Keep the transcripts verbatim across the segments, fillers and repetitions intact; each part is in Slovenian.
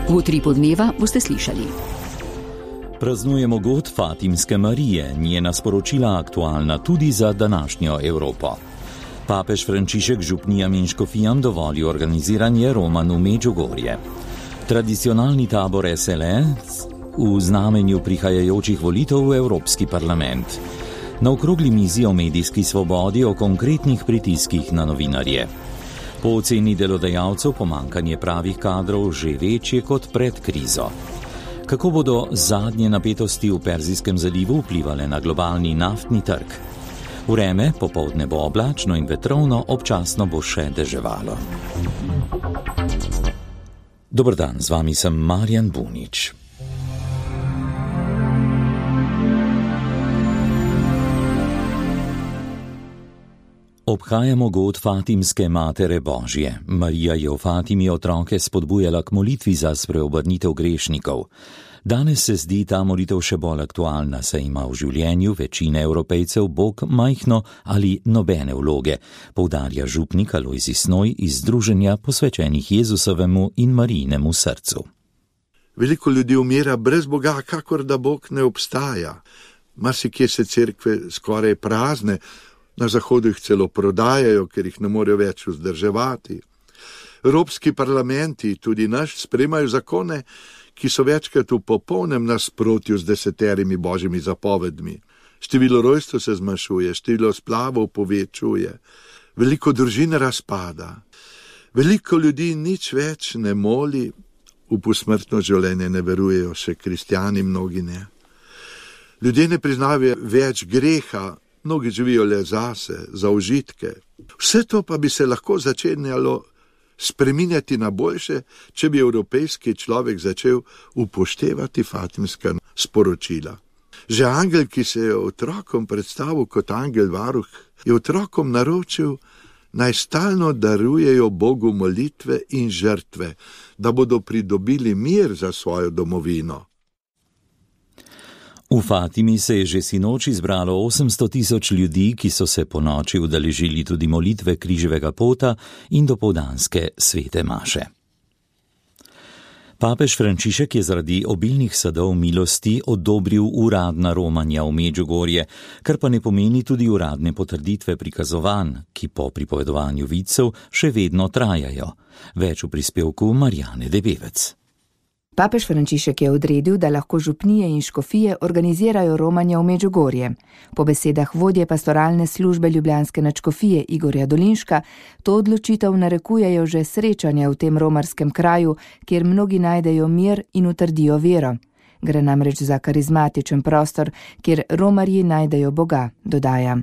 V Utripu dneva boste slišali. Praznujemo god Fatimske Marije, njena sporočila aktualna tudi za današnjo Evropo. Papež Frančišek župnijam in škofijam dovoli organiziranje romanj v Medžugorje. Tradicionalni tabor S L E v znamenju prihajajočih volitev v Evropski parlament. Na okrogli mizi o medijski svobodi, o konkretnih pritiskih na novinarje. Po oceni delodajalcev pomanjkanje pravih kadrov že večje kot pred krizo. Kako bodo zadnje napetosti v Perzijskem zalivu vplivale na globalni naftni trg? Vreme, popoldne bo oblačno in vetrovno, občasno bo še deževalo. Dober dan, z vami sem Marjan Bunič. Obhajamo god Fatimske Matere Božje. Marija je v Fatimi otroke spodbujala k molitvi za spreobrnitev grešnikov. Danes se zdi ta molitev še bolj aktualna, saj ima v življenju večine Evropejcev Bog majhno ali nobene vloge, poudarja župnik Alojzij Snoj iz združenja posvečenih Jezusovemu in Marijinemu srcu. Veliko ljudi umira brez Boga, kakor da Bog ne obstaja. Marsikje se cerkve skoraj prazne, na zahodu jih celo prodajajo, ker jih ne morejo več vzdrževati. Evropski parlamenti, tudi naš, sprejemajo zakone, ki so večkrat v popolnem nasprotju z deseterimi božjimi zapovedmi. Število rojstev se zmanjšuje, število splavov povečuje, veliko družin razpada. Veliko ljudi nič več ne moli, v posmrtno življenje ne verujejo, še kristjani mnogi ne. Ljudje ne priznavajo več greha, mnogi živijo le zase, za užitke. Vse to pa bi se lahko začenjalo spreminjati na boljše, če bi evropejski človek začel upoštevati fatimska sporočila. Že angel, ki se je otrokom predstavil kot angel varuh, je otrokom naročil, naj stalno darujejo Bogu molitve in žrtve, da bodo pridobili mir za svojo domovino. V Fatimi se je že sinoči zbralo osemsto tisoč ljudi, ki so se po noči udeležili tudi molitve križevega pota in dopoldanske svete maše. Papež Frančišek je zaradi obilnih sadov milosti odobril uradna romanja v Medžugorje, kar pa ne pomeni tudi uradne potrditve prikazovanj, ki po pripovedovanju vicev še vedno trajajo. Več v prispevku Marjane Debevec. Papež Frančišek je odredil, da lahko župnije in škofije organizirajo romanja v Medžugorje. Po besedah vodje pastoralne službe ljubljanske nadškofije Igorja Dolinška, to odločitev narekujejo že srečanja v tem romarskem kraju, kjer mnogi najdejo mir in utrdijo vero. Gre namreč za karizmatičen prostor, kjer romarji najdejo Boga, dodaja.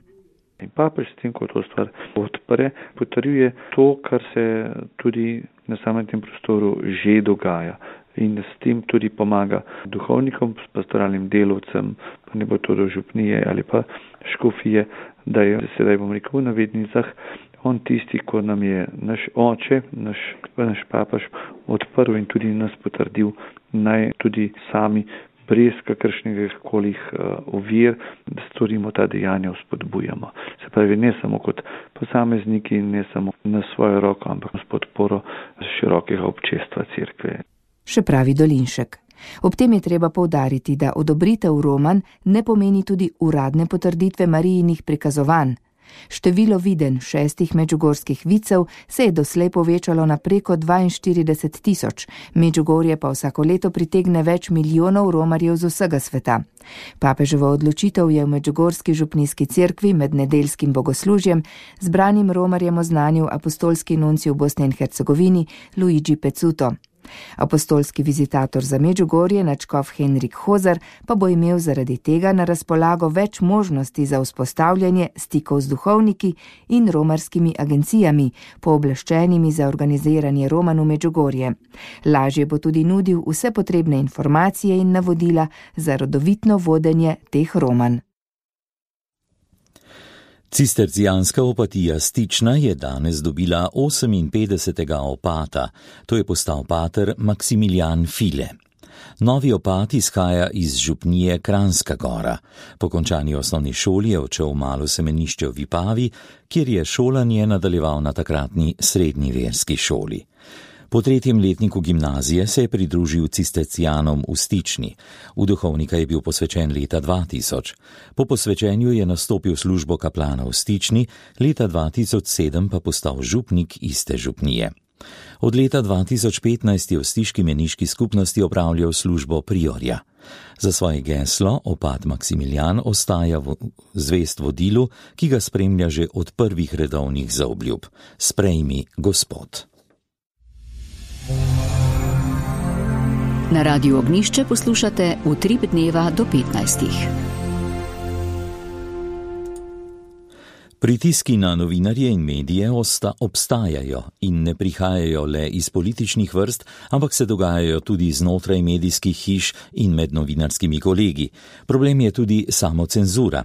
In papež s tem, ko to stvar odpre, potrjuje to, kar se tudi na samem tem prostoru že dogaja. In s tem tudi pomaga duhovnikom, pastoralnim delovcem, pa ne bo to do župnije ali pa škofije, da je sedaj, bom rekel, v navednicah, on tisti, ko nam je naš oče, naš, naš papaž odprl in tudi nas potrdil, naj tudi sami brez kakršnega kolih uh, ovir, da storimo ta dejanja, vzpodbujamo. Se pravi, ne samo kot posamezniki, ne samo na svojo roko, ampak s podporo širokega občestva cerkve. Še pravi Dolinšek. Ob tem je treba poudariti, da odobritev romanj ne pomeni tudi uradne potrditve Marijinih prikazovanj. Število viden šestih medžugorskih vicev se je doslej povečalo na preko dvainštirideset tisoč, Medžugorje pa vsako leto pritegne več milijonov romarjev z vsega sveta. Papeževo odločitev je v medžugorski župnijski cerkvi med nedeljskim bogoslužjem zbranim romarjem oznanil apostolski nuncij v Bosni in Hercegovini Luigi Pezzuto. Apostolski vizitator za Medžugorje, nadškof Henrik Hozar, pa bo imel zaradi tega na razpolago več možnosti za vzpostavljanje stikov z duhovniki in romarskimi agencijami, pooblaščenimi za organiziranje romanj v Medžugorje. Lažje bo tudi nudil vse potrebne informacije in navodila za rodovitno vodenje teh romanj. Cistercijanska opatija Stična je danes dobila oseminpetdesetega opata, to je postal pater Maksimilijan File. Novi opat izhaja iz župnije Kranjska Gora. Po končani osnovni šoli je odšel v malo semenišče v Vipavi, kjer je šolanje nadaljeval na takratni srednji verski šoli. Po tretjem letniku gimnazije se je pridružil cistercijanom v Stični. V duhovnika je bil posvečen leta dva tisoč. Po posvečenju je nastopil službo kaplana v Stični, leta dva tisoč sedem pa postal župnik iste župnije. Od leta dva tisoč petnajst je v stiški meniški skupnosti opravljal službo priorja. Za svoje geslo opat Maksimilijan ostaja v zvest vodilu, ki ga spremlja že od prvih redovnih zaobljub. Sprejmi, Gospod. Na Radiu Ognjišče poslušate Utrip dneva do petnajstih. Pritiski na novinarje in medije osta obstajajo in ne prihajajo le iz političnih vrst, ampak se dogajajo tudi znotraj medijskih hiš in med novinarskimi kolegi. Problem je tudi samocenzura.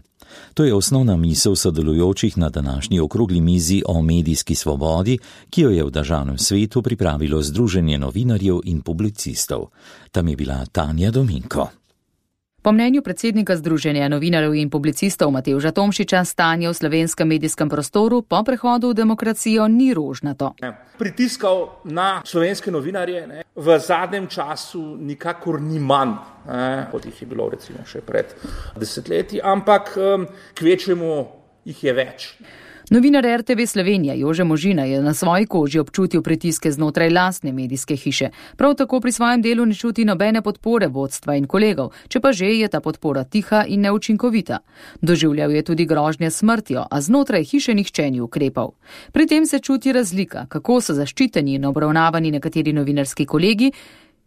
To je osnovna misel sodelujočih na današnji okrogli mizi o medijski svobodi, ki jo je v državnem svetu pripravilo Združenje novinarjev in publicistov. Tam je bila Tanja Dominko. Po mnenju predsednika Združenja novinarjev in publicistov Matevža Tomšiča stanje v slovenskem medijskem prostoru po prehodu v demokracijo ni rožnato. Pritiskal na slovenske novinarje ne, v zadnjem času nikakor ni manj, ne, kot jih je bilo recimo še pred desetletji, ampak kvečjemu jih je več. Novinar R T V Slovenija Jože Možina je na svoji koži občutil pritiske znotraj lastne medijske hiše. Prav tako pri svojem delu ne čuti nobene podpore vodstva in kolegov, če pa že je ta podpora tiha in neučinkovita. Doživljal je tudi grožnje smrtjo, a znotraj hiše nihče ni ukrepal. Pri tem se čuti razlika, kako so zaščiteni in obravnavani nekateri novinarski kolegi,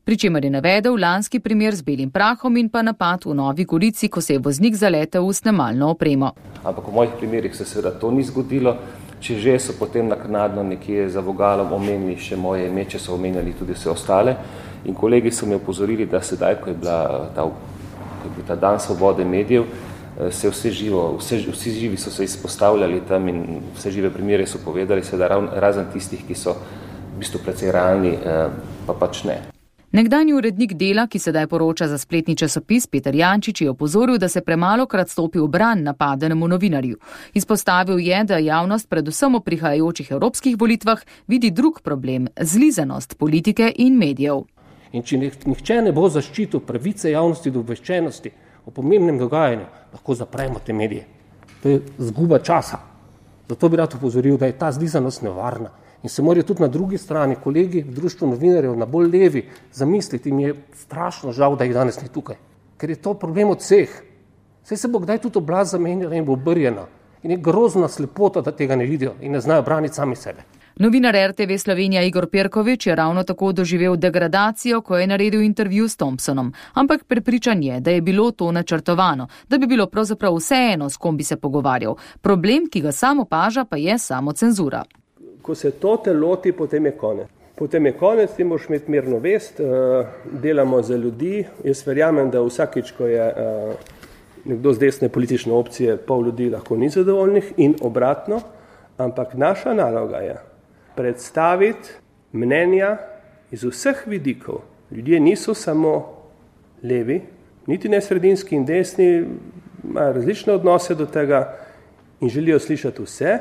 pri čemer je navedel lanski primer z belim prahom in pa napad v Novi Gorici, ko se je voznik zaletel v snemalno opremo. Ampak v mojih primerih se seveda to ni zgodilo, če že so potem naknadno nekje za vogalom omenili še moje ime, če so omenjali tudi vse ostale. In kolegi so me opozorili, da sedaj, ko je, bila ta, ko je bil ta dan svobode medijev, se vse živo, vse, vsi živi so se izpostavljali tam in vse žive primere so povedali, seveda razen tistih, ki so v bistvu precej realni, pa pač ne. Nekdanji urednik Dela, ki sedaj poroča za spletni časopis, Peter Jančič, je opozoril, da se premalokrat stopi v bran napadenemu novinarju. Izpostavil je, da javnost predvsem o prihajajočih evropskih volitvah vidi drug problem – zlizanost politike in medijev. In če nihče ne bo zaščitil pravice javnosti do obveščenosti o pomembnem dogajanju, lahko zapremo te medije. To je zguba časa. Zato bi rad opozoril, da je ta zlizanost nevarna. In se morajo tudi na drugi strani kolegi v društvu novinarjev na bolj levi zamisliti, in mi je strašno žal, da jih danes ni tukaj. Ker je to problem od vseh. Saj se bo kdaj tudi oblast zamenjala in bo obrjena. In je grozna slepota, da tega ne vidijo in ne znajo braniti sami sebe. Novinar R T V Slovenija Igor Pirkovič je ravno tako doživel degradacijo, ko je naredil intervju s Thompsonom. Ampak prepričan je, da je bilo to načrtovano, da bi bilo pravzaprav vseeno, s kom bi se pogovarjal. Problem, ki ga sam opaža, pa je samocenzura. Ko se to te loti, potem je konec. Potem je konec, ti moraš imeti mirno vest, delamo za ljudi. Jaz verjamem, da vsakič, ko je nekdo z desne politične opcije, pol ljudi lahko ni zadovoljnih in obratno, ampak naša naloga je predstaviti mnenja iz vseh vidikov. Ljudje niso samo levi, niti ne sredinski in desni, imajo različne odnose do tega in želijo slišati vse.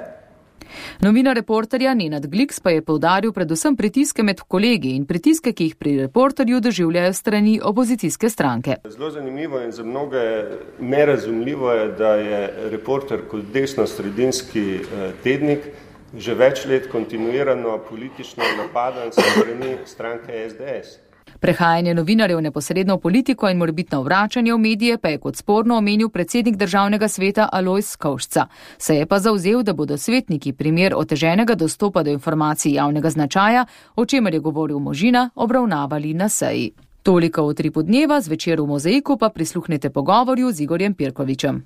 Novinar Reporterja Nenad Gliks pa je poudaril predvsem pritiske med kolegi in pritiske, ki jih pri Reporterju doživljajo strani opozicijske stranke. Zelo zanimivo in za mnoge nerazumljivo je, da je Reporter kot desno-sredinski tednik že več let kontinuirano politično napadan s strani stranke S D S. Prehajanje novinarjev neposredno v politiko in morebitno vračanje v medije pa je kot sporno omenil predsednik državnega sveta Alojz Skovšca. Se je pa zavzel, da bodo svetniki primer oteženega dostopa do informacij javnega značaja, o čemer je govoril Možina, obravnavali na seji. Toliko v Utripu dneva, zvečer v Mozaiku pa prisluhnete pogovorju z Igorjem Pirkovičem.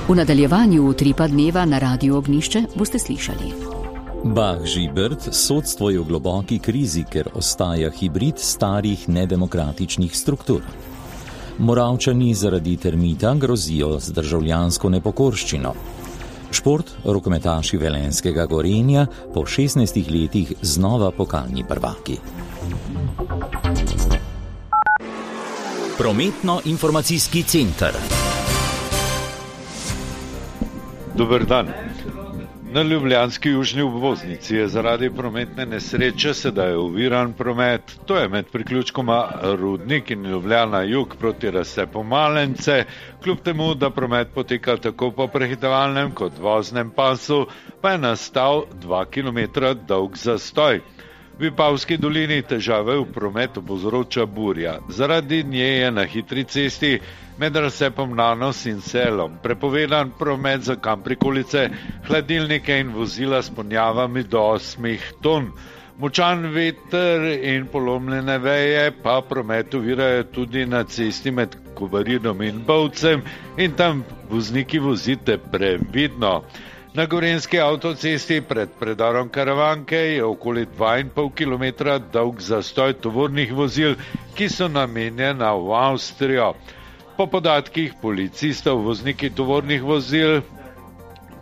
V nadaljevanju Utripa dneva na Radiu Ognjišče boste slišali. Bah Žibert, sodstvo je v globoki krizi, ker ostaja hibrid starih nedemokratičnih struktur. Moravčani zaradi termita grozijo z državljansko nepokorščino. Šport, rokometaši velenjskega Gorenja po šestnajstih letih znova pokalni prvaki. Prometno-informacijski center. Dober dan. Na ljubljanski južni obvoznici je zaradi prometne nesreče sedaj oviran promet. To je med priključkoma Rudnik in Ljubljana jug proti razcepu Malence. Kljub temu, da promet poteka tako po prehitevalnem kot voznem pasu, pa je nastal dva kilometra dolg zastoj. V Vipavski dolini težave v prometu povzroča burja. Zaradi nje je na hitri cesti med razcepom Nanos in Selom prepovedan promet za kamprikolice, hladilnike in vozila s ponjavami do osmih ton. Močan veter in polomljene veje pa promet ovirajo tudi na cesti med Kobaridom in Bovcem in tam vozniki vozite previdno. Na gorenjski avtocesti pred predorom Karavanke je okoli dva in pol kilometra dolg zastoj tovornih vozil, ki so namenjena v Avstrijo. Po podatkih policistov vozniki tovornih vozil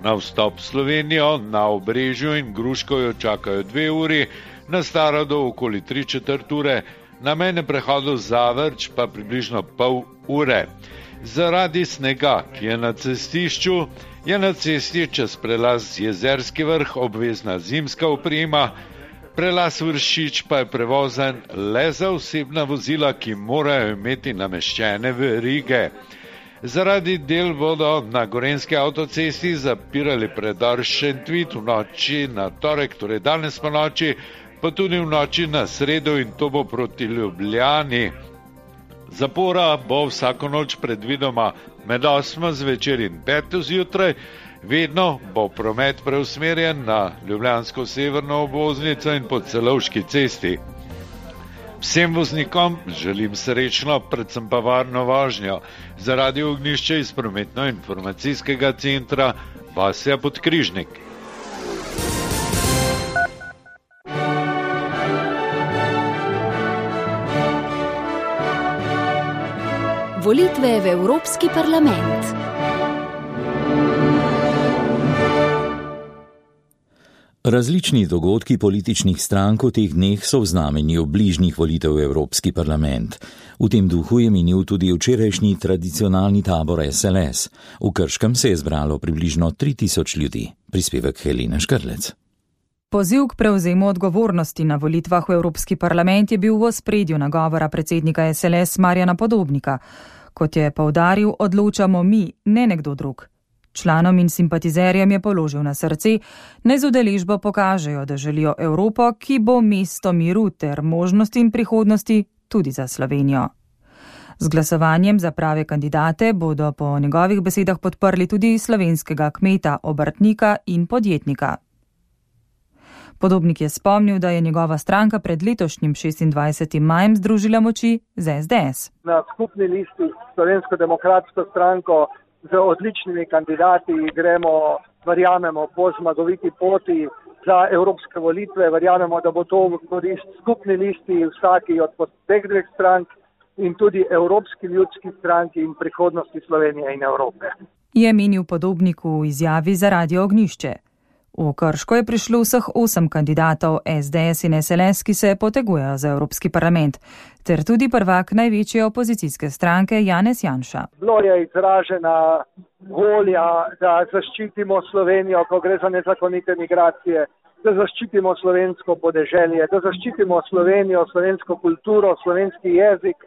na vstop v Slovenijo na Obrežju in Gruškovju čakajo dve uri, na Starodu okoli tri četrt ure, na mejnem prehodu Zavrč pa približno pol ure. Zaradi snega, ki je na cestišču, je na cesti čez prelaz Jezerski vrh obvezna zimska oprema, prelaz Vršič pa je prevozen le za osebna vozila, ki morajo imeti nameščene verige. Zaradi del bodo na gorenjski avtocesti zapirali predor Šentvid v noči na torek, torej danes po noči, pa tudi v noči na sredo in to bo proti Ljubljani. Zapora bo vsako noč predvidoma med osmo zvečer in peto zjutraj, vedno bo promet preusmerjen na ljubljansko severno obvoznico in po Celovški cesti. Vsem voznikom želim srečno, predvsem pa varno vožnjo. Za Radio Ognjišče iz prometno-informacijskega centra Vasja Podkrižnik. Volitve v Evropski parlament. Različni dogodki političnih strank v teh dneh so v znamenju bližnjih volitev v Evropski parlament. V tem duhu je minil tudi včerajšnji tradicionalni tabor S L S. V Krškem se je zbralo približno tri tisoč ljudi. Prispevek Helene Škrlec. Poziv k prevzemu odgovornosti na volitvah v Evropski parlament je bil v ospredju nagovora predsednika S L S Marjana Podobnika. Kot je poudaril, odločamo mi, ne nekdo drug. Članom in simpatizerjem je položil na srce, naj z udeležbo pokažejo, da želijo Evropo, ki bo mesto miru ter možnosti in prihodnosti tudi za Slovenijo. Z glasovanjem za prave kandidate bodo po njegovih besedah podprli tudi slovenskega kmeta, obrtnika in podjetnika. Podobnik je spomnil, da je njegova stranka pred letošnjim šestindvajsetim majem združila moči z S D S. Na skupni listi Slovensko demokratsko stranko z odličnimi kandidati gremo, verjamemo, po zmagoviti poti za evropske volitve. Verjamemo, da bo to v korist skupni listi vsaki od teh dveh strank in tudi Evropski ljudski stranki in prihodnosti Slovenije in Evrope. Je menil Podobnik v izjavi za Radio Ognjišče. V Krško je prišlo vseh osem kandidatov S D S in S L S, ki se potegujejo za Evropski parlament, ter tudi prvak največje opozicijske stranke Janez Janša. Bilo je izražena volja, da zaščitimo Slovenijo, ko gre za nezakonite migracije, da zaščitimo slovensko podeželje, da zaščitimo Slovenijo, slovensko kulturo, slovenski jezik.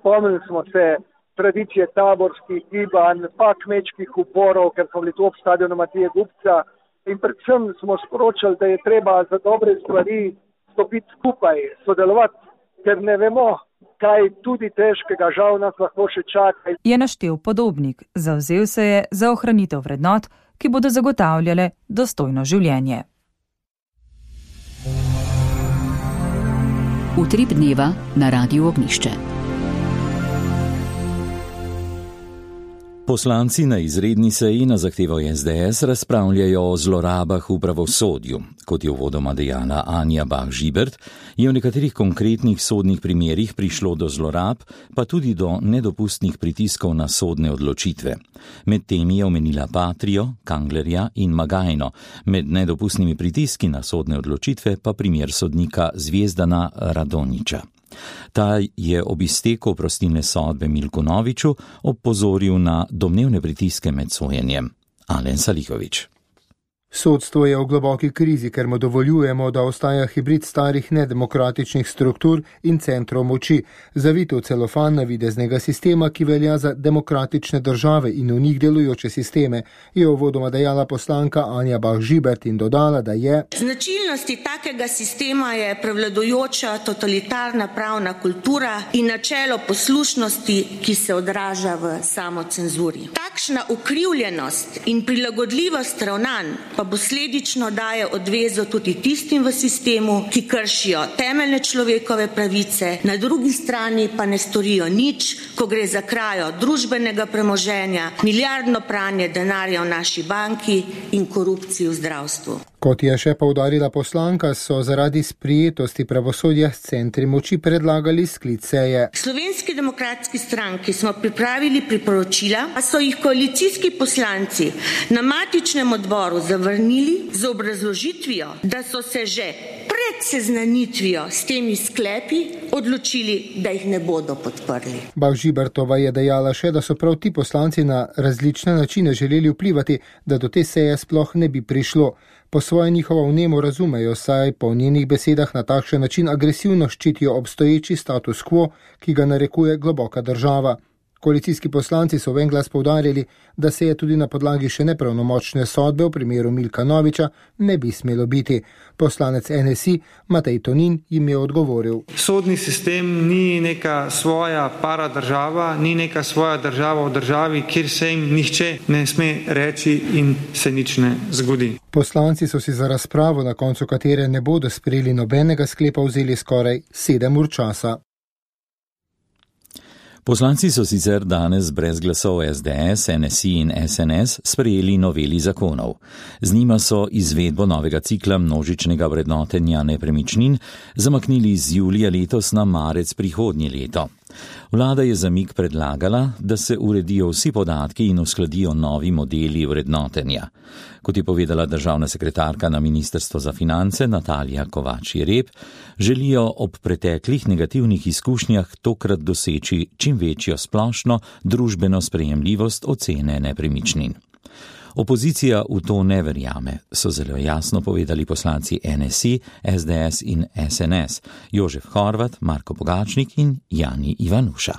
Spomnili smo se tradicije taborskih gibanj, pa kmečkih uporov, ker so bili tu ob stadionu Matije Gubca. In predvsem smo sporočali, da je treba za dobre stvari stopiti skupaj, sodelovati, ker ne vemo, kaj tudi težkega žal nas lahko še čaka. Je naštel Podobnik, zavzel se je za ohranitev vrednot, ki bodo zagotavljale dostojno življenje. Utrip dneva na Radiu Ognjišče. Poslanci na izredni seji na zahtevo S D S razpravljajo o zlorabah v pravosodju. Kot je uvodoma dejala Anja Bah Žibert, je v nekaterih konkretnih sodnih primerih prišlo do zlorab, pa tudi do nedopustnih pritiskov na sodne odločitve. Med temi je omenila Patrio, Kanglerja in Magajno, med nedopustnimi pritiski na sodne odločitve pa primer sodnika Zvezdana Radonjića. Ta je ob izteku oprostilne sodbe Milku Noviču opozoril na domnevne pritiske med sojenjem. Alen Salihović. Sodstvo je v globoki krizi, ker mu dovoljujemo, da ostaja hibrid starih nedemokratičnih struktur in centrov moči, zavito v celofan navideznega sistema, ki velja za demokratične države in v njih delujoče sisteme, je uvodoma dejala poslanka Anja Bah Žibert in dodala, da je značilnosti takega sistema je prevladujoča totalitarna pravna kultura in načelo poslušnosti, ki se odraža v samocenzuri. Takšna ukrivljenost in prilagodljivost ravnanj pa posledično daje odvezo tudi tistim v sistemu, ki kršijo temeljne človekove pravice, na drugi strani pa ne storijo nič, ko gre za krajo družbenega premoženja, milijardno pranje denarja v naši banki in korupcijo v zdravstvu. Kot je še poudarila poslanka, so zaradi sprijetosti pravosodja s centri moči predlagali sklic seje. Slovenski demokratski stranki smo pripravili priporočila, a so jih koalicijski poslanci na matičnem odboru zavrnili z obrazložitvijo, da so se že pred seznanitvijo s temi sklepi odločili, da jih ne bodo podprli. Bah Žibertova je dejala še, da so prav ti poslanci na različne načine želeli vplivati, da do te seje sploh ne bi prišlo. Po svoje njihovo vnemo razumejo, saj po njenih besedah na takšen način agresivno ščitijo obstoječi status quo, ki ga narekuje globoka država. Koalicijski poslanci so v en glas poudarjali, da se je tudi na podlagi še nepravnomočne sodbe v primeru Milka Noviča ne bi smelo biti. Poslanec N S I Matej Tonin jim je odgovoril. Sodni sistem ni neka svoja paradržava, ni neka svoja država v državi, kjer se jim nihče ne sme reči in se nič ne zgodi. Poslanci so si za razpravo, na koncu katere ne bodo sprejeli nobenega sklepa, vzeli skoraj sedem ur časa. Poslanci so sicer danes brez glasov S D S, N S I in S N S sprejeli noveli zakonov. Z njima so izvedbo novega cikla množičnega vrednotenja nepremičnin zamaknili z julija letos na marec prihodnje leto. Vlada je zamik predlagala, da se uredijo vsi podatki in uskladijo novi modeli vrednotenja. Kot je povedala državna sekretarka na Ministrstvu za finance Natalija Kovač-Jereb, želijo ob preteklih negativnih izkušnjah tokrat doseči čim večjo splošno družbeno sprejemljivost ocene nepremičnin. Opozicija v to ne verjame, so zelo jasno povedali poslanci N S I, S D S in S N S, Jožef Horvat, Marko Pogačnik in Jani Ivanuša.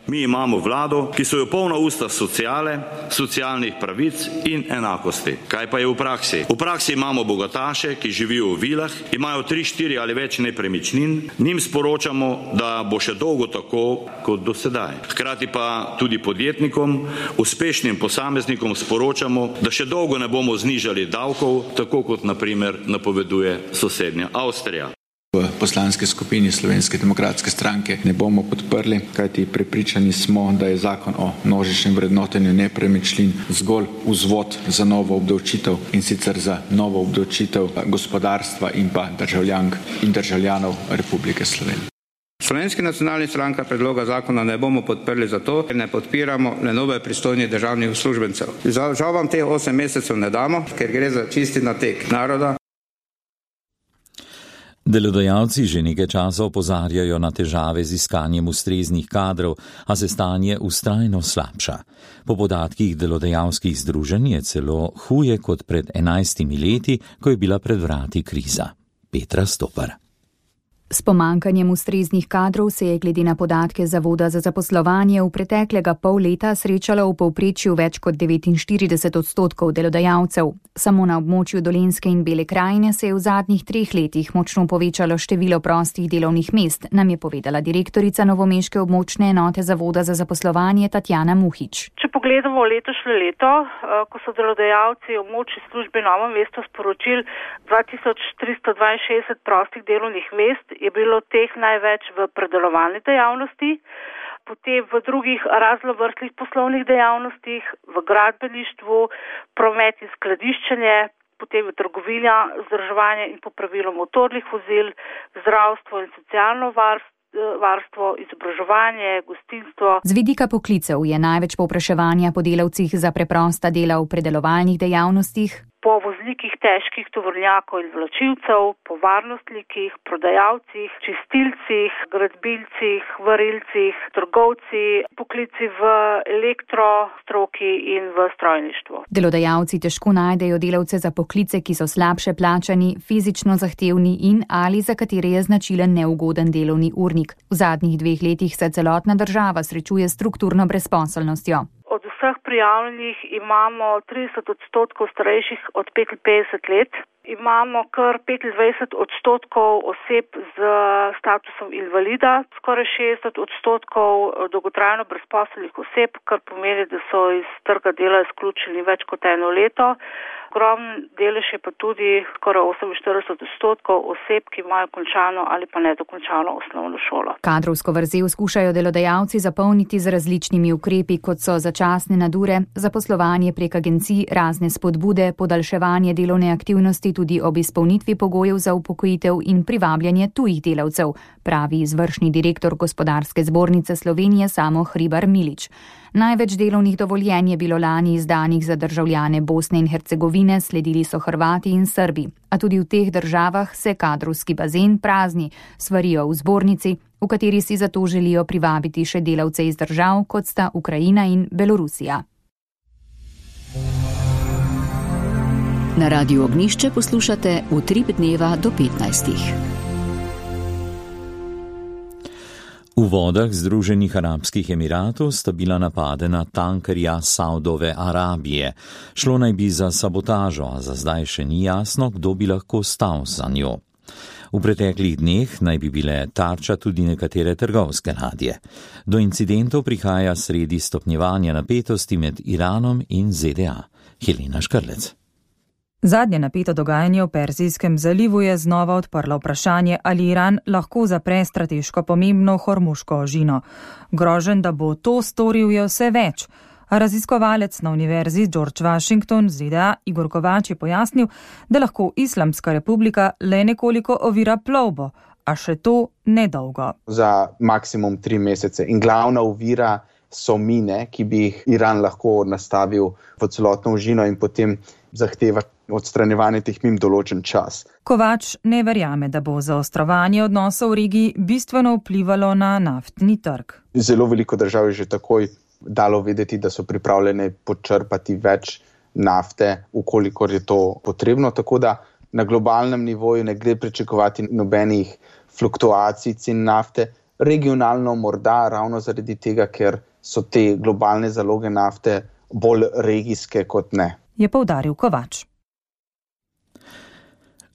Mi imamo vlado, ki so jo polna usta sociale, socialnih pravic in enakosti. Kaj pa je v praksi? V praksi imamo bogataše, ki živijo v vilah, imajo tri, štiri ali več nepremičnin, njim sporočamo, da bo še dolgo tako kot do sedaj. Hkrati pa tudi podjetnikom, uspešnim posameznikom sporočamo, da še dolgo ne bomo znižali davkov, tako kot na primer napoveduje sosednja Avstrija. V poslanski skupini Slovenske demokratske stranke ne bomo podprli, kajti prepričani smo, da je zakon o množičnem vrednotenju nepremičnin zgolj vzvod za novo obdavčitev in sicer za novo obdavčitev gospodarstva in pa državljank in državljanov Republike Slovenije. Slovenski nacionalni stranka predloga zakona ne bomo podprli zato, ker ne podpiramo le nove pristojnih državnih uslužbencev. Žal vam teh osem mesecev ne damo, ker gre za čisti nateg naroda. Delodajalci že nekaj časa opozarjajo na težave z iskanjem ustreznih kadrov, a se stanje vztrajno slabša. Po podatkih delodajalskih združenj je celo huje kot pred enajstimi leti, ko je bila pred vrati kriza. Petra Stopar. S pomankanjem ustreznih kadrov se je glede na podatke Zavoda za zaposlovanje v preteklega pol leta srečalo v povprečju več kot devetinštirideset odstotkov delodajalcev. Samo na območju Dolenjske in Bele krajine se je v zadnjih treh letih močno povečalo število prostih delovnih mest, nam je povedala direktorica novomeške območne enote Zavoda za zaposlovanje Tatjana Muhič. Če pogledamo letošnje leto, ko so delodajalci v območni službi Novo mesto sporočili dva tisoč tristo dvainšestdeset prostih delovnih mest, je bilo teh največ v predelovalni dejavnosti, potem v drugih raznovrstnih poslovnih dejavnostih, v gradbeništvu, promet in skladiščenje, potem v trgovini, vzdrževanje in popravilo motornih vozil, zdravstvo in socialno varstvo, varstvo, izobraževanje, gostinstvo. Z vidika poklicev je največ povpraševanja po delavcih za preprosta dela v predelovalnih dejavnostih. po voznikih težkih tovornjakov in vlačilcev, po varnostnikih, prodajalcih, čistilcih, gradbilcih, varilcih, trgovci, poklici v elektrostroki in v strojništvu. Delodajalci težko najdejo delavce za poklice, ki so slabše plačani, fizično zahtevni in ali za katere je značilen neugoden delovni urnik. V zadnjih dveh letih se celotna država srečuje s strukturno brezposelnostjo. Od vseh prijavljenih imamo trideset odstotkov starejših od petinpetdeset let. Imamo kar petindvajset odstotkov oseb z statusom invalida, skoraj šestdeset odstotkov dolgotrajno brezposelnih oseb, kar pomeni, da so iz trga dela izključeni več kot eno leto. Ogromen delež je pa tudi skoraj oseminštirideset odstotkov oseb, ki imajo končano ali pa nedokončano osnovno šolo. Kadrovsko vrzel skušajo delodajalci zapolniti z različnimi ukrepi, kot so začasne nadure, zaposlovanje prek agencij, razne spodbude, podaljševanje delovne aktivnosti tudi ob izpolnitvi pogojev za upokojitev in privabljanje tujih delavcev, pravi izvršni direktor Gospodarske zbornice Slovenije Samo Hribar Milič. Največ delovnih dovoljenj je bilo lani izdanih za državljane Bosne in Hercegovine, sledili so Hrvati in Srbi. A tudi v teh državah se kadrovski bazen prazni, svarijo v zbornici, v kateri si zato želijo privabiti še delavce iz držav, kot sta Ukrajina in Belorusija. Na Radiu Ognišče poslušate Utrip dneva do petnajstih. V vodah Združenih arabskih emiratov sta bila napadena tankerja Saudove Arabije. Šlo naj bi za sabotažo, a za zdaj še ni jasno, kdo bi lahko stal za njo. V preteklih dneh naj bi bile tarča tudi nekatere trgovske ladje. Do incidentov prihaja sredi stopnjevanja napetosti med Iranom in Z D A. Helena Škrlec. Zadnje napeto dogajanje v Perzijskem zalivu je znova odprlo vprašanje, ali Iran lahko zapre strateško pomembno Hormuško ožino. Groženj, da bo to storil, je vse več. Raziskovalec na univerzi George Washington Z D A Igor Kovač je pojasnil, da lahko Islamska republika le nekoliko ovira plovbo, a še to nedolgo. Za maksimum tri mesece in glavna ovira so mine, ki bi jih Iran lahko nastavil v celotno ožino in potem zahteva odstranjevanje teh mim določen čas. Kovač ne verjame, da bo zaostrovanje odnosov v regiji bistveno vplivalo na naftni trg. Zelo veliko držav je že takoj dalo vedeti, da so pripravljene počrpati več nafte, ukolikor je to potrebno, tako da na globalnem nivoju ne gre pričakovati nobenih fluktuacij cen nafte, regionalno morda ravno zaradi tega, ker so te globalne zaloge nafte bolj regijske kot ne. Je poudaril Kovač.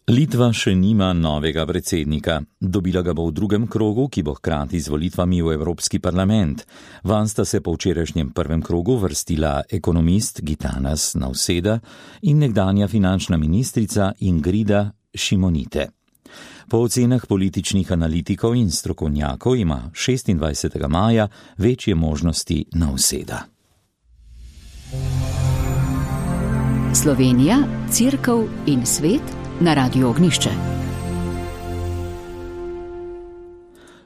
Litva še nima novega predsednika. Dobila ga bo v drugem krogu, ki bo hkrati z volitvami v Evropski parlament. Van sta se po včerajšnjem prvem krogu vrstila ekonomist Gitanas Nausėda in nekdanja finančna ministrica Ingrida Šimonytė. Po ocenah političnih analitikov in strokovnjakov ima šestindvajsetega maja večje možnosti Nausėda. Slovenija, Cerkev in svet na Radiu Ognišče.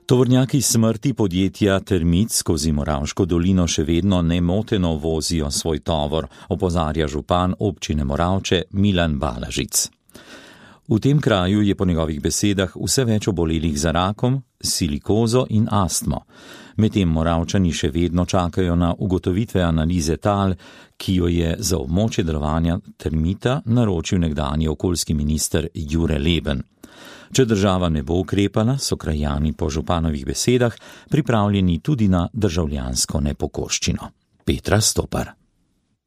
Tovornjaki smrti podjetja Termit skozi Moravško dolino še vedno nemoteno vozijo svoj tovor, opozarja župan občine Moravče Milan Balažic. V tem kraju je po njegovih besedah vse več obolelih za rakom, silikozo in astmo. Medtem Moravčani še vedno čakajo na ugotovitve analize tal, ki jo je za območje delovanja Termita naročil nekdanji okoljski minister Jure Leben. Če država ne bo ukrepala, so krajani po županovih besedah pripravljeni tudi na državljansko nepokoščino. Petra Stopar.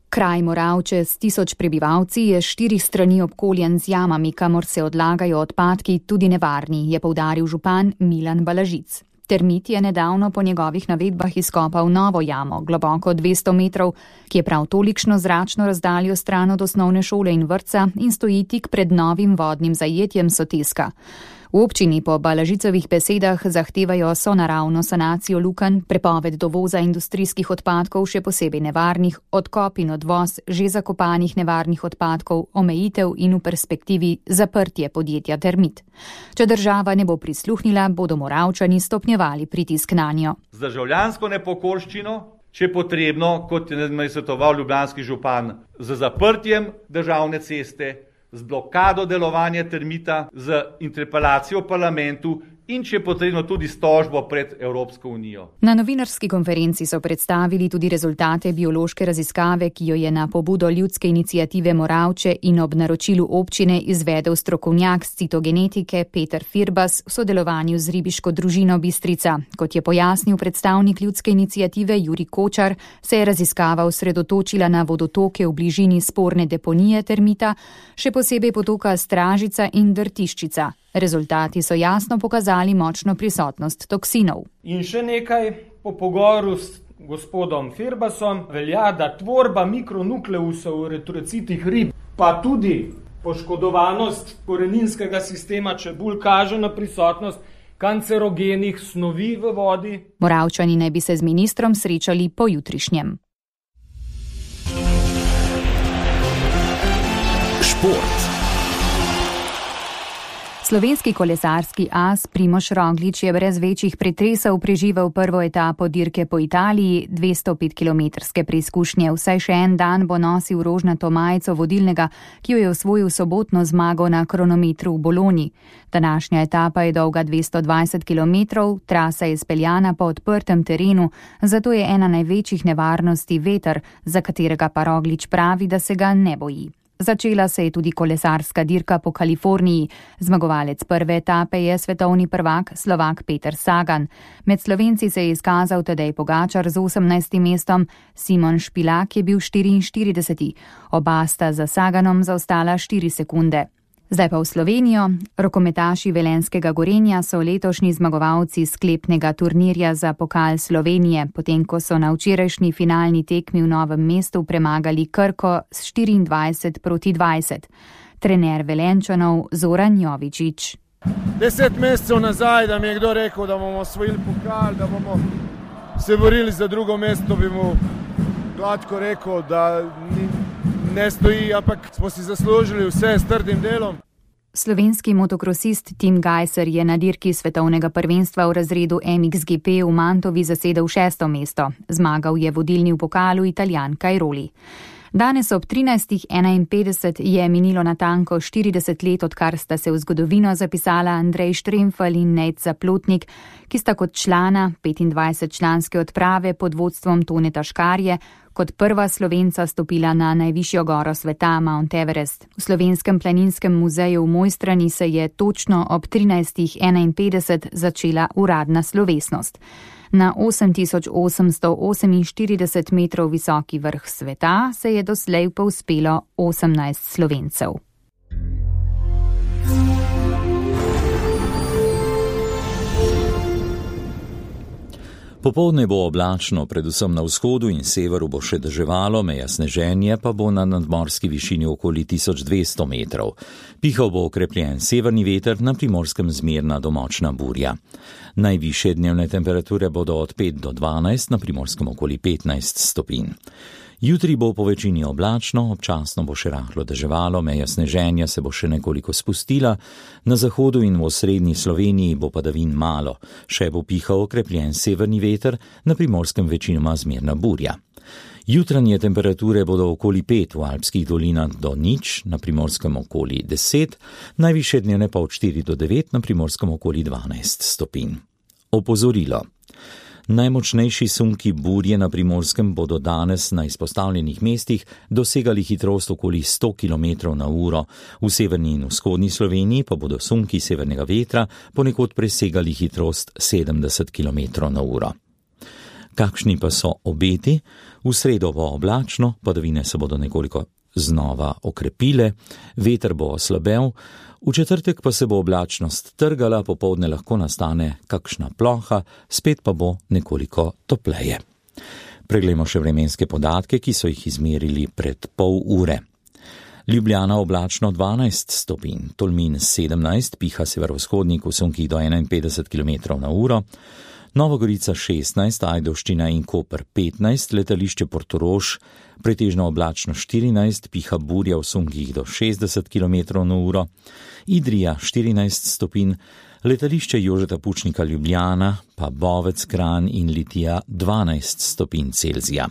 Kraj Moravče s tisoč prebivalci je štirih strani obkoljen z jamami, kamor se odlagajo odpadki, tudi nevarni, je poudaril župan Milan Balažic. Termit je nedavno po njegovih navedbah izkopal novo jamo, globoko dvesto metrov, ki je prav tolikšno zračno razdaljo stran od osnovne šole in vrtca in stoji tik pred novim vodnim zajetjem Soteska. V občini po Balažicovih besedah zahtevajo sonaravno sanacijo lukenj, prepoved dovoza industrijskih odpadkov, še posebej nevarnih, odkop in odvoz že zakopanih nevarnih odpadkov, omejitev in v perspektivi zaprtje podjetja Termit. Če država ne bo prisluhnila, bodo Moravčani stopnjevali pritisk nanjo. Z državljansko nepokorščino, če potrebno, kot je svetoval ljubljanski župan, z zaprtjem državne ceste, z blokado delovanja termita, z interpelacijo v parlamentu in če potrebno tudi s tožbo pred Evropsko unijo. Na novinarski konferenci so predstavili tudi rezultate biološke raziskave, ki jo je na pobudo ljudske iniciative Moravče in ob naročilu občine izvedel strokovnjak z citogenetike Peter Firbas v sodelovanju z ribiško družino Bistrica. Kot je pojasnil predstavnik ljudske iniciative Jurij Kočar, se je raziskava osredotočila na vodotoke v bližini sporne deponije termita, še posebej potoka Stražica in Drtiščica. Rezultati so jasno pokazali močno prisotnost toksinov. In še nekaj, po pogovoru s gospodom Firbasom velja, da tvorba mikronukleusov v retrocitih rib, pa tudi poškodovanost koreninskega sistema čebul kaže na prisotnost kancerogenih snovi v vodi. Moravčani naj bi se z ministrom srečali pojutrišnjem. Šport. Slovenski kolesarski as Primož Roglič je brez večjih pretresov preživel prvo etapo dirke po Italiji, dvesto pet kilometrske preizkušnje. Vsaj še en dan bo nosil rožnato majico vodilnega, ki jo je osvojil sobotno zmago na kronometru v Bologni. Današnja etapa je dolga dvesto dvajset kilometrov, trasa je speljana po odprtem terenu, zato je ena največjih nevarnosti veter, za katerega pa Roglič pravi, da se ga ne boji. Začela se je tudi kolesarska dirka po Kaliforniji. Zmagovalec prve etape je svetovni prvak Slovak Peter Sagan. Med Slovenci se je izkazal Tadej Pogačar z osemnajstim mestom, Simon Špilak je bil štiriinštirideseti. Oba sta za Saganom zaostala štiri sekunde. Zdaj pa v Slovenijo. Rokometaši velenjskega Gorenja so letošnji zmagovalci sklepnega turnirja za pokal Slovenije, potem ko so na včerajšnji finalni tekmi v Novem mestu premagali Krko s štiriindvajset proti dvajset. Trener Velenjčanov Zoran Jovičič. Deset mesecev nazaj, da mi je kdo rekel, da bomo osvojili pokal, da bomo se borili za drugo mesto, bi mu gladko rekel, da ni ne stoji, ampak smo si zaslužili vse s trdim delom. Slovenski motokrosist Tim Gajser je na dirki svetovnega prvenstva v razredu M X G P v Mantovi zasedel šesto mesto. Zmagal je vodilni v pokalu Italijan Cairoli. Danes ob trinajstih enainpetdeset je minilo natanko štirideset let, odkar sta se v zgodovino zapisala Andrej Štremfelj in Nejc Zaplotnik, ki sta kot člana petindvajsetčlanske odprave pod vodstvom Toneta Škarje kot prva Slovenca stopila na najvišjo goro sveta, Mount Everest. V Slovenskem planinskem muzeju v Mojstrani se je točno ob trinajstih enainpetdeset začela uradna slovesnost. Na osem tisoč osemsto oseminštirideset metrov visoki vrh sveta se je doslej povzpelo osemnajst Slovencev. Popoldne bo oblačno, predvsem na vzhodu in severu bo še deževalo, meja sneženje pa bo na nadmorski višini okoli tisoč dvesto metrov. Pihal bo okrepljen severni veter, na Primorskem zmerna do močna burja. Najvišje dnevne temperature bodo od pet do dvanajst, na Primorskem okoli petnajst stopinj. Jutri bo po večini oblačno, občasno bo še rahlo deževalo, meja sneženja se bo še nekoliko spustila, na zahodu in v osrednji Sloveniji bo padavin malo, še bo pihal okrepljen severni veter, na Primorskem večinoma zmerna burja. Jutranje temperature bodo okoli pet, v alpskih dolinah do nič, na Primorskem okoli deset, najvišje dnevne pa od štiri do devet, na Primorskem okoli dvanajst stopinj. Opozorilo. Najmočnejši sunki burje na Primorskem bodo danes na izpostavljenih mestih dosegali hitrost okoli sto kilometrov na uro, v severni in vzhodni Sloveniji pa bodo sunki severnega vetra ponekod presegali hitrost sedemdeset kilometrov na uro. Kakšni pa so obeti? V sredo bo oblačno, padavine se bodo nekoliko znova okrepile, veter bo oslabel, v četrtek pa se bo oblačnost trgala, popoldne lahko nastane kakšna ploha, spet pa bo nekoliko topleje. Preglejmo še vremenske podatke, ki so jih izmerili pred pol ure. Ljubljana oblačno dvanajst stopinj, Tolmin sedemnajst, piha severovzhodnik v sunkih do enainpetdeset kilometrov na uro, Nova Gorica šestnajst, Ajdovščina in Koper petnajst, letališče Portorož pretežno oblačno štirinajst, piha burja v sunkih do šestdeset kilometrov na uro, Idrija štirinajst stopinj, Letališče Jožeta Pučnika Ljubljana pa Bovec, Kranj in Litija dvanajst stopinj Celzija.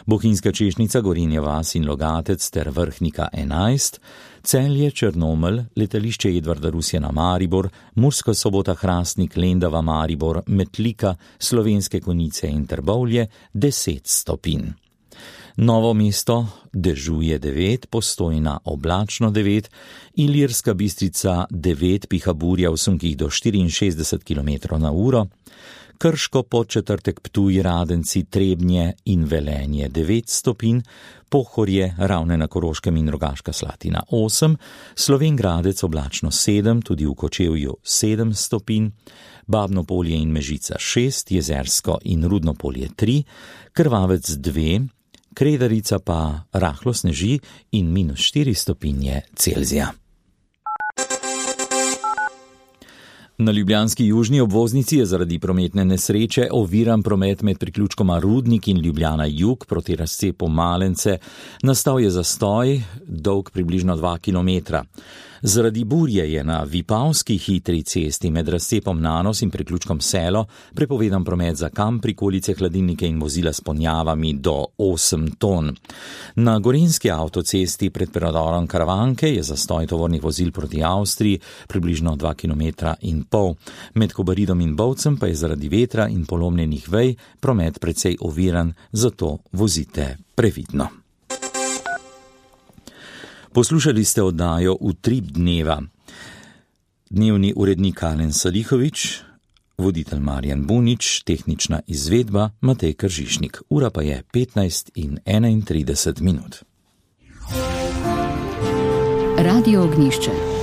Bohinjska Češnica, Gorenja vas in Logatec ter Vrhnika enajst, Celje, Črnomelj, letališče Edvarda Rusjana Maribor, Murska Sobota, Hrastnik, Lendava, Maribor, Metlika, Slovenske Konjice in Trbovlje deset stopinj. Novo mesto dežuje devet, Postojna oblačno devet, Ilirska Bistrica devet, piha burja v sunkih do štiriinšestdeset kilometrov na uro, Krško, Podčetrtek, Ptuj, Radenci, Trebnje in Velenje devet stopinj, Pohorje, Ravne na Koroškem in Rogaška Slatina osem, Slovenj Gradec oblačno sedem, tudi v Kočevju sedem stopinj, Babno Polje in Mežica šest, Jezersko in Rudno Polje tri, Krvavec dve, Kredarica pa rahlo sneži in minus štiri stopinje Celzija. Na ljubljanski južni obvoznici je zaradi prometne nesreče oviran promet med priključkoma Rudnik in Ljubljana jug proti razcepu Malence. Nastal je zastoj, dolg približno dva kilometra. Zaradi burje je na Vipavski hitri cesti med razcepom Nanos in priključkom Selo prepovedan promet za kamp, prikolice, hladilnike in vozila s ponjavami do osem ton. Na Gorenjski avtocesti pred predorom Karavanke je zastoj tovornih vozil proti Avstriji približno dva kilometra in pol. Med Kobaridom in Bovcem pa je zaradi vetra in polomljenih vej promet precej oviran, zato vozite previdno. Poslušali ste oddajo Utrip dneva. Dnevni urednik Alen Salihovič, voditelj Marjan Bunič, tehnična izvedba Matej Kržišnik. Ura pa je petnajst in enaintrideset minut. Radio Ognjišče.